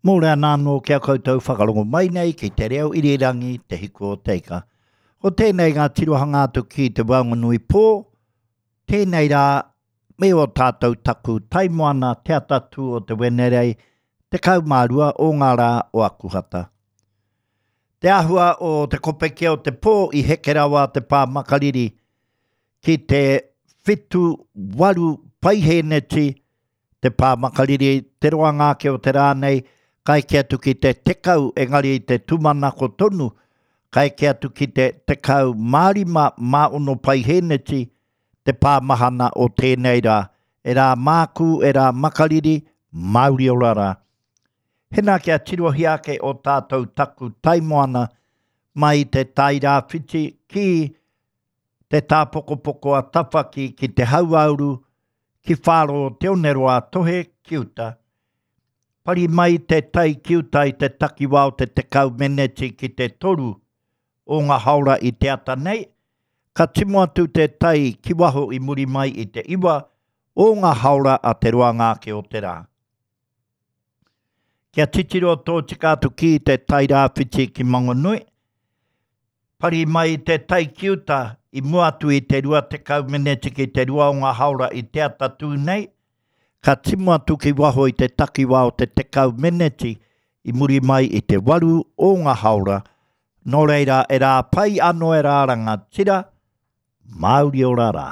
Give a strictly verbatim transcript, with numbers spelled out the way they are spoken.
Mōrena anō ki a koutou whakarongo mai nei ki te reo irirangi Te Hiku o Te Ika. Ko tēnei ngā tirohanga atu ki te Waonganui pō, tēnei rā me o tātou taku taimoana te atatū o te Wenerei, tekau mā rua o ngā rā o Akuhata. Te āhua o te kopeke o te pō i heke rawa te pā makariri ki te whitu waru paihēneti te pā makariri, te roanga ake o te rā nei, ka eke atu ki te tekau, engari i te tūmanako tonu, ka eke atu ki te tekau mā rima mā ono paihēneti te pā mahana o tēnei rā. E rā mākū, e rā makariri, mauri ora rā. Hena kia tirohia ake o tātou taku taimoana mai te Tairāwhiti ki te tāpokopoko a Tawhaki ki te hauāuru, ki Whāro o Te Oneroa Tohe ki uta. Pari mai te tai ki uta i te takiwā o te tekau meneti ki te toru o ngā haora i te ata nei, ka timo atu te tai ki waho i muri mai i te iwa o ngā haora a te roanga ake o te rā. Kia titiro tōtika atu ki te Tairāwhiti ki Mangonui, pari mai te tai ki uta i mua atu i te rua tekau meneti ki te rua o ngā haora i te atatū nei, ka timo atu ki waho i te takiwā o te tekau meneti i muri mai i te waru o ngā haora, nō reira e rā pai anō e rā rangatira, mauri ora rā.